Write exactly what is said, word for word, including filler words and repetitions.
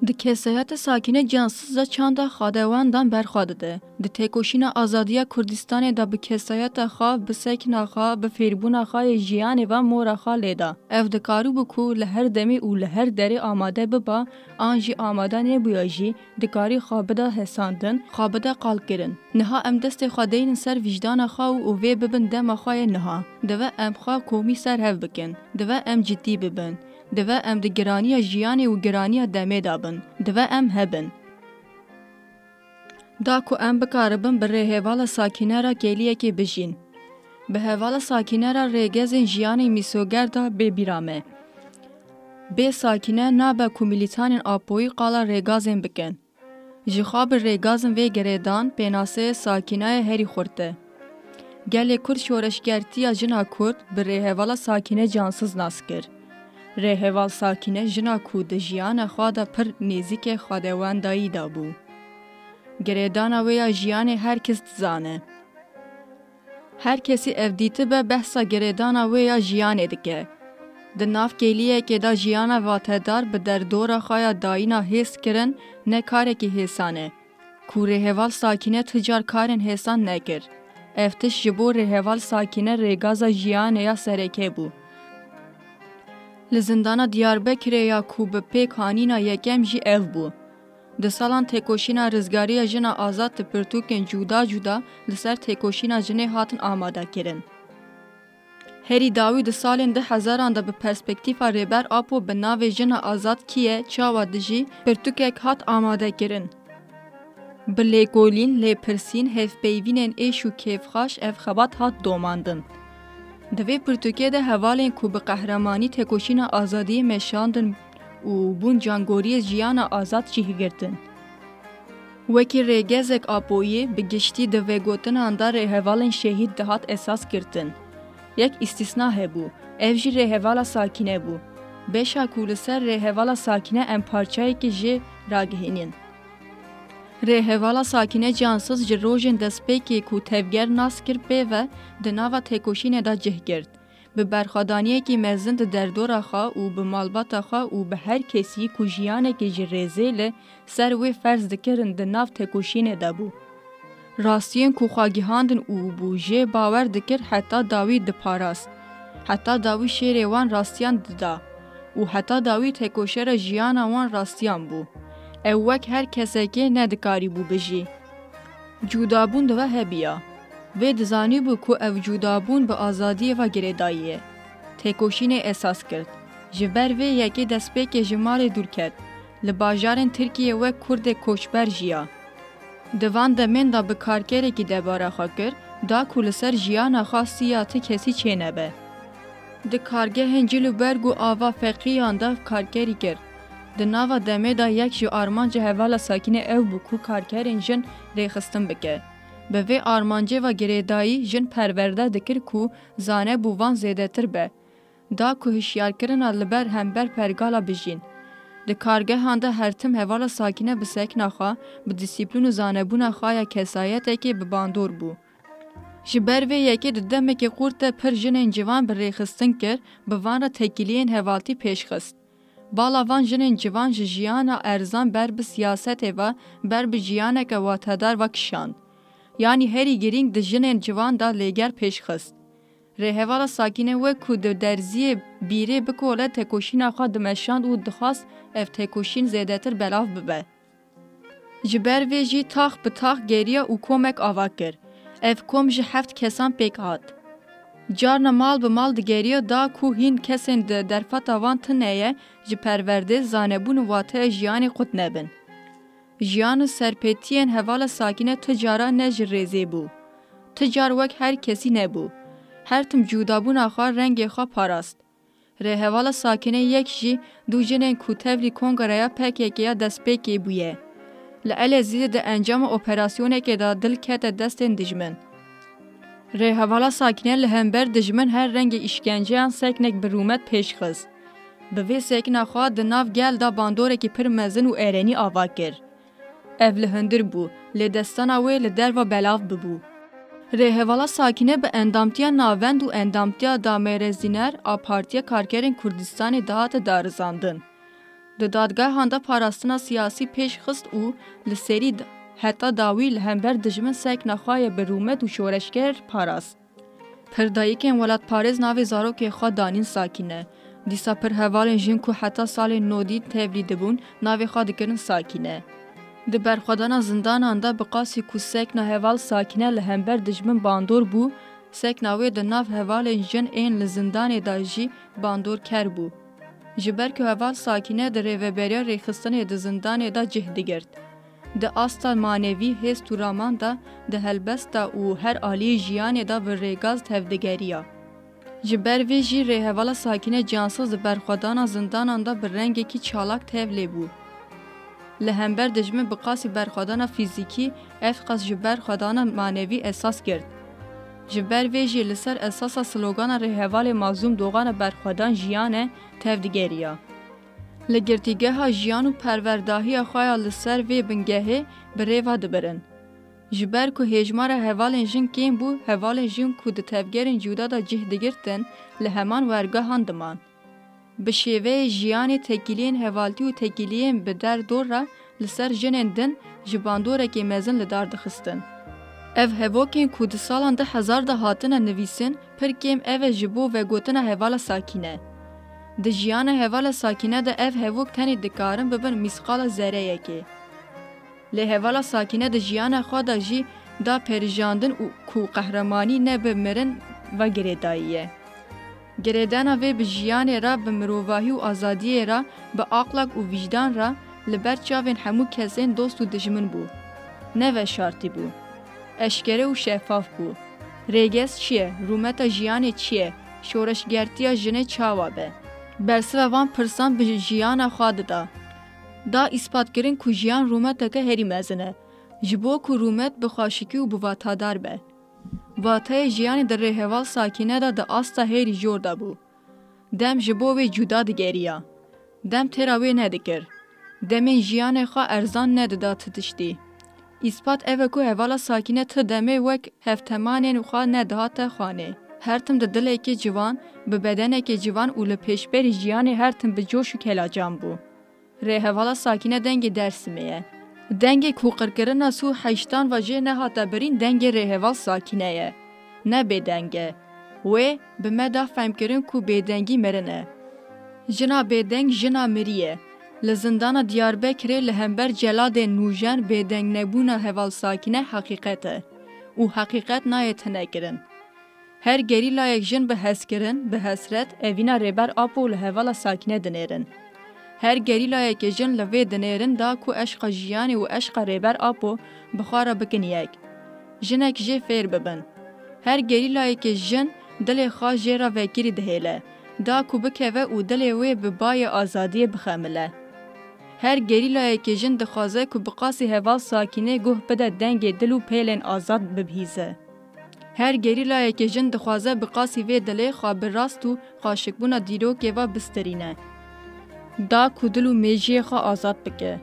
Di kesayeta Sakîne Cansiz de çanda xadewendan berxwe dide. Di têkoşîna azadiya Kurdistanê de bi kesayeta xwe, bi sekna xwe, bi fêrbûna xwe yê jiyanê ve mora xwe lê da. Ev dikarîbû ku li her demê û li her derê amade biba, an jî amade nebûya jî, dikarî xwe bida hesandin, xwe bida qalkirin. Niha em destê xwe deynin ser vîjdana xwe û, û vê bibin dema xwe yê niha. Dibe em xwe komî ser hev bikin. Dibe em cidî bibin. Dibe em di giraniya jiyanê û giraniya demê de bin. Dibe em hebin. Da ku em bikaribin bi rêhevala Sakîne re kêliyekê bijîn. Bi hevala Sakîne re rêgezên jiyanê mîsoger de bê bîra me. Bê Sakîne nabe ku milîtanên Apoyî qala rêgazên bikin. Ji xwe bi rêgazin vê girêdan pênaseyê Sakîneyê herî xurt e. Gelê Kurd şoreşgertiya jina Kurd bi rêhevala Sakîne Cansiz nas kir. Rêheval Sakîne jina ku di jiyana xwe de pir nêzîkê xwedewendayî de bû. Girêdana wê ya jiyanê her kes dizane. Her kesî ev dîtibe behsa girêdana wê ya jiyanê dike. Di nav kêliyekê de jiyana vatedar bi derdora xwe ya dayîna hêz kirin ne karekî hêsan e. Ku rêheval Sakîne ti car karên hêsan nekir. Ev tişt ji bo rêheval Sakîne rêgaza jiyanê ya sereke bû. Li zindana Diyarbekirê ya ku bi pêk hanîna yekem jî ev bû. Di salan têkoşîna rizgariya jina azad di pirtûkên cuda cuda li ser têkoşîna jinê hatin amade kirin. Herî dawî di salên du hezaran de bi perspektîfa Rêber Apo bi navê Jina Azad Kî Ye, Çawa Dijî pirtûkek hat amade kirin. Bi lêkolîn, lêpirsîn, hevpeyvînên êş û kêfxweş ev xebat hat domandin. Di vê pirtûkê de hevalên ku bi qehremanî têkoşîna azadiyê meşandin û bûn cangoriyê jiyana azad cih girtin. Wekî rêgezek Apoyî bi giştî di vegotinan de rêhevalên şehîd dihat esas girtin. Yek îstîsna hebû, ev jî rêhevala Sakîne bû. Beşa ku li ser rêhevala Sakîne em parçeyekê jê ragihînin. Rêhevala Sakîne Cansiz ji rojên destpêkê ku tevger nas kir pê ve di nava têkoşînê de cih girt. Bi berxwedaniyekî mezin di derdora xwe û bi malbata xwe û bi her kesî ku jiyanekê ji rêzê li ser wê ferz dikirin di nav têkoşînê de bû. Rastiyên ku xwe gihandin û bû jê bawer dikir heta dawî diparast. Heta dawî şêrê wan rastiyan dida û heta dawî têkoşera jiyana wan rastiyan bû. Ew wek her kesekê nedikarîbû bijî. Cûdabûn di we hebiya. Wê dizanîbû ku ev cûdabûn bi azadiyê ve girêdayî ye. Têkoşînê esas girt. Ji ber vê yekê destpêkê ji malê dûr ket. Li bajarên Tirkiyê wek Kurdê koçber jiya. Di van demên de bi karkerekî debara xwe kir, da ku li ser jiyana xwe siya ti kesî çênebe. Di kargehên cil û berg û ava feqîyan de karkerî kir. Di nava demê de yek ji armanca hevala Sakînê ew bû ku karkerên jin rêxistin bike. Bi vê armancê ve girêdayî jin perwerde dikir ku zanebûvan zêdetir be. Da ku hişyarkirina li ber hember pergala bijîn. Di kargehan de her tim hevala Sakîne bi sekna xwe, bi dîsîplîn û zanebûna xwe ya kesayetekê bi bandor bû. Ji ber vê yekê di demekê xurt de pir jinên ciwan bi rêxistin kir, bi van re têkiliyên hevaltî pêş xist. Bala van jinên ciwan ji jiyana erzan ber bi siyasetê ve, ber bi jiyaneke watedar ve kişand. Yanî herî girîng di jinên ciwan de lêger pêş xist. Rêhevala Sakîne wek ku di derziyê bîrê bikole têkoşîna xwe dimeşand û dixwast ev têkoşîn zêdetir belav bibe. Ji ber vê jî tax bi tax geriya û komek ava kir. Ev kom ji heft kesan pêk hat. Carna mal bi mal digeriya da ku hîn kesên di derfeta wan tune ye ji perwerdê, zanebûn û wateya jiyanê qut nebin. Jiyan û serpêtiyên hevala Sakîne tu cara ne ji rêzê bû. Tu car wek her kesî nebû. Her tim cûdabûna xwe, rengê xwe parast. Rêhevala Sakîne yek jî dû jinên ku tevlî kongreya P K K ya destpêkê bûye. Li Elezîzê di encama operasyonekê de dil kete destên dijmin. Rêhevala Sakîne li hember dijmin her rengê îşkenceyan seknek bi rûmet pêş xist. Bi vê sekna xwe di nav gel de bandorekî pir mezin û erenî ava kir. Ev li hundir bû, lê destana wê li derve belav bibû. Rêhevala Sakîne bi endamtiya navend û endamtiya damêrezîner a Partiya Karkerên Kurdistanê dihate darizandin. Di dadgehan de parastina siyasî pêş xist û li serî d-, heta dawî li hember dijmin sekna xwe yê bi rûmet û şoreşger parast. Pir dayikên welatparêz navê zarokê xwe danîn Sakîne. Dîsa pir hevalên jin ku heta salên nodî tevlî dibûn, navê xwe dikirin Sakîne. Di berxwedana zindanan de bi qasî ku sekna heval Sakîne li hember dijmin bandor bû, sekna wê di nav hevalên jin ên li zindanê de jî bandorker bû. Ji ber ku heval Sakîne di rêveberiya rêxistinê di zindanê de cih digirt. Di asta manevî, hêst û raman de, di helbesta û her aliyê jiyanê de bi rêgaz tevdigeriya. Ji ber vê jî rêhevala Sakîne Cansiz di berxwedana zindanan de bi rengekî çalak tevlê bû. Li hember dijmin bi qasî berxwedana fîzîkî, ev qas ji berxwedana manevî esas girt. Ji ber vê jî li ser esasa slogana rêhevalê Mazlûm Doxanê berxwedan jiyane tevdigeriya. Li girtîgeha jiyan û perwerdahiya xwe ya li ser vê bingehê bi rê ve dibirin. Ji ber ku hêjmara hevalên jin kêm bû, hevalên jin ku di tevgerên cuda de cih digirtin, li heman wergehan diman. Bi şêveyê jiyanê tekîliyên hevaltî û tekîliyên bi der dor re li ser jinên din ji bandorekê mezin li dar dixistin. Ev hevokên ku di salan du hezar de hatine nivîsin, pir kêm ev e ji bo vegotina hevala Sakîne. Di jiyana hevala Sakîne de ev hevok tenê dikarin bibin mîsqala zereyekê. Lê hevala Sakîne di jiyana xwe de jî da perijandin û ku qehremanî ne bi mirin ve girêdayî ye. Girêdana vê bi jiyanê re, bi mirovahî û azadiyê re, bi aqlak û vîjdan re li ber çavên hemû kesên dost û dijmin bû. Ne veşartî bû. Eşkere û şefaf bû. Rêgez çi ye? Rûmeta jiyanê çi ye? Şoreşgertiya jinê çawa be? Bersiva van pirsan bi jiyana xwe dida. Da îspatkirin ku jiyan rûmeteke herî mezin e. Ji bo ku rûmet bi xweşikî û bi vatadar be. Vateyê jiyanê di rêheval Sakîne de di asta hêrî jor de bû. Dem ji bo wê cuda digeriya. Dem têra wê nedikir. Demên jiyanê xwe erzan nedida ti tiştî. Îspat ev e ku hevala Sakîne ti demê wek hevtemanên xwe nedihate xanê. Her tim di dilekê ciwan, bi bedenekê ciwan û li pêşberî jiyanê her tim bi coş û kelacan bû. Rêhevala Sakîne dengê Dêrsimê ye. Dengê ku qirkirina sî û heştan ve jê nehate birîn dengê rêheval Sakîne ye. Ne bêdeng e. Wê bi me da fehmkirin ku bêdengî mirin e. Jina bêdeng jina mirî ye. Li zindana Diyarbekirê li hember celadên nûjen bêdengnebûna heval Sakîne heqîqet e. Û heqîqet nayê tinekirin. Her gerîlayek jin bi hezkirin, bi hesret, evîna Rêber Apo li hevala Sakîne dinêrin. Her gerîlayekê jin li vê dinêrin da ku eşqa jiyanê û eşqa Rêber Apo bi xwe re bikin yek. Jinek jê fêr bibin. Her gerîlayekê jin dilê xwe jê re vekirî dihêle, da ku bikeve û dilê wê bi bayê azadiyê bixemile. Her gerîlayekê jin dixwaze ku bi qasî heval Sakînê guh bide dengê dil û pêlên azad bibihîze. Her gerîlayekê jin dixwaze bi qasî vê dilê xwe bi rast û xweşikbûna dîrokê ve bistirîne. Da ku dil û mêjiyê xwe azad bike.